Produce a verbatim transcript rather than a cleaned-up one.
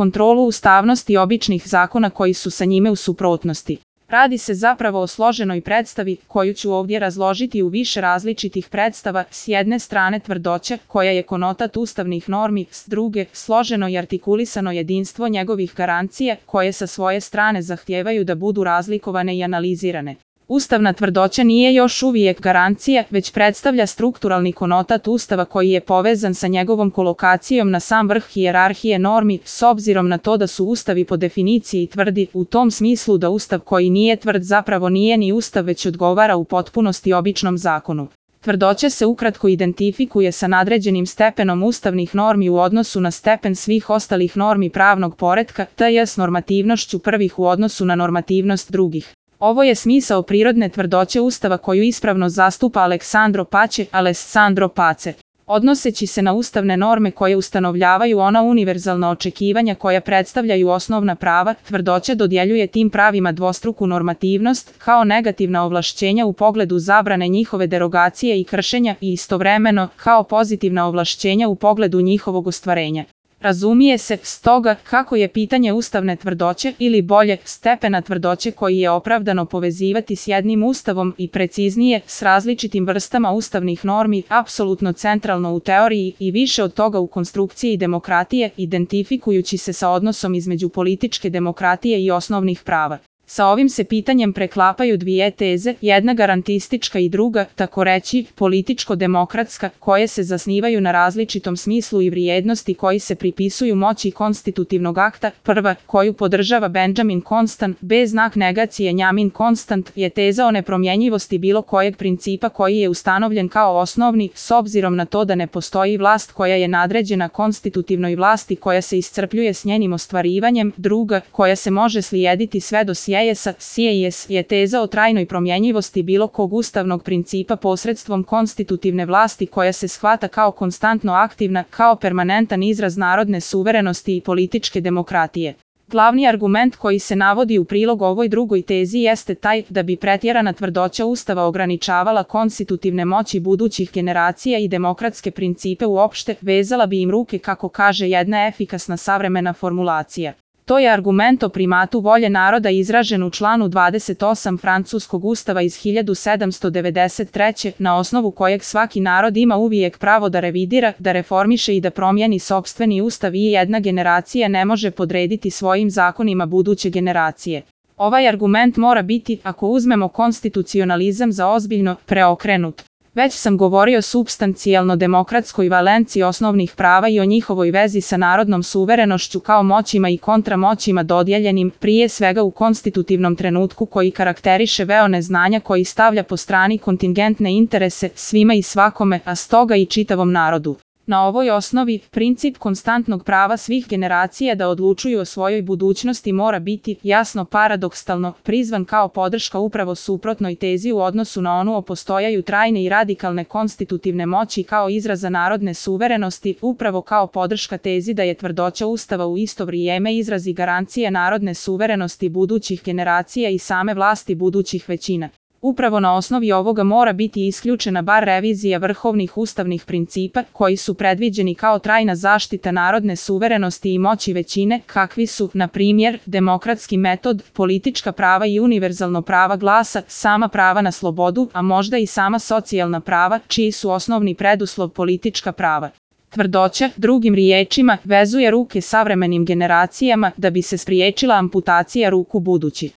kontrolu ustavnosti običnih zakona koji su sa njime u suprotnosti. Radi se zapravo o složenoj predstavi, koju ću ovdje razložiti u više različitih predstava, s jedne strane tvrdoće, koja je konotat ustavnih normi, s druge, složeno i artikulisano jedinstvo njegovih garancija, koje sa svoje strane zahtijevaju da budu razlikovane i analizirane. Ustavna tvrdoća nije još uvijek garancija, već predstavlja strukturalni konotat Ustava koji je povezan sa njegovom kolokacijom na sam vrh hijerarhije normi, s obzirom na to da su ustavi po definiciji tvrdi, u tom smislu da Ustav koji nije tvrd zapravo nije ni Ustav već odgovara u potpunosti običnom zakonu. Tvrdoća se ukratko identifikuje sa nadređenim stepenom ustavnih normi u odnosu na stepen svih ostalih normi pravnog poretka, te je s normativnošću prvih u odnosu na normativnost drugih. Ovo je smisao prirodne tvrdoće Ustava koju ispravno zastupa Aleksandro Pace, Alessandro Pace. Odnoseći se na ustavne norme koje ustanovljavaju ona univerzalna očekivanja koja predstavljaju osnovna prava, tvrdoća dodjeljuje tim pravima dvostruku normativnost, kao negativna ovlašćenja u pogledu zabrane njihove derogacije i kršenja i istovremeno, kao pozitivna ovlašćenja u pogledu njihovog ostvarenja. Razumije se, stoga, kako je pitanje ustavne tvrdoće, ili bolje, stepena tvrdoće koji je opravdano povezivati s jednim ustavom i preciznije, s različitim vrstama ustavnih normi, apsolutno centralno u teoriji i više od toga u konstrukciji demokratije, identifikujući se sa odnosom između političke demokratije i osnovnih prava. Sa ovim se pitanjem preklapaju dvije teze, jedna garantistička i druga, tako reći, političko-demokratska, koje se zasnivaju na različitom smislu i vrijednosti koji se pripisuju moći konstitutivnog akta. Prva, koju podržava Benjamin Constant, bez znak negacije Njamin Constant, je teza o nepromjenjivosti bilo kojeg principa koji je ustanovljen kao osnovni, s obzirom na to da ne postoji vlast koja je nadređena konstitutivnoj vlasti koja se iscrpljuje s njenim ostvarivanjem. Druga, koja se može slijediti sve do sjeja, Sijes je teza o trajnoj promjenjivosti bilo kog ustavnog principa posredstvom konstitutivne vlasti koja se shvata kao konstantno aktivna, kao permanentan izraz narodne suverenosti i političke demokratije. Glavni argument koji se navodi u prilog ovoj drugoj tezi jeste taj da bi pretjerana tvrdoća Ustava ograničavala konstitutivne moći budućih generacija i demokratske principe uopšte, vezala bi im ruke, kako kaže jedna efikasna savremena formulacija. To je argument o primatu volje naroda izražen u članu dvadeset osam Francuskog ustava iz hiljadu sedamsto devedeset treće na osnovu kojeg svaki narod ima uvijek pravo da revidira, da reformiše i da promijeni sopstveni ustav i jedna generacija ne može podrediti svojim zakonima buduće generacije. Ovaj argument mora biti, ako uzmemo konstitucionalizam za ozbiljno, preokrenut. Već sam govorio o supstancijalno demokratskoj valenciji osnovnih prava i o njihovoj vezi sa narodnom suverenošću kao moćima i kontramoćima dodijeljenim, prije svega u konstitutivnom trenutku koji karakteriše veo neznanja koji stavlja po strani kontingentne interese svima i svakome, a stoga i čitavom narodu. Na ovoj osnovi, princip konstantnog prava svih generacija da odlučuju o svojoj budućnosti mora biti, jasno paradoksalno, prizvan kao podrška upravo suprotnoj tezi u odnosu na onu o postojaju trajne i radikalne konstitutivne moći kao izraza narodne suverenosti, upravo kao podrška tezi da je tvrdoća Ustava u isto vrijeme izraz i garancija narodne suverenosti budućih generacija i same vlasti budućih većina. Upravo na osnovi ovoga mora biti isključena bar revizija vrhovnih ustavnih principa koji su predviđeni kao trajna zaštita narodne suverenosti i moći većine, kakvi su, na primjer, demokratski metod, politička prava i univerzalno prava glasa, sama prava na slobodu, a možda i sama socijalna prava, čiji su osnovni preduslov politička prava. Tvrdoća, drugim riječima, vezuje ruke savremenim generacijama da bi se spriječila amputacija ruku budući.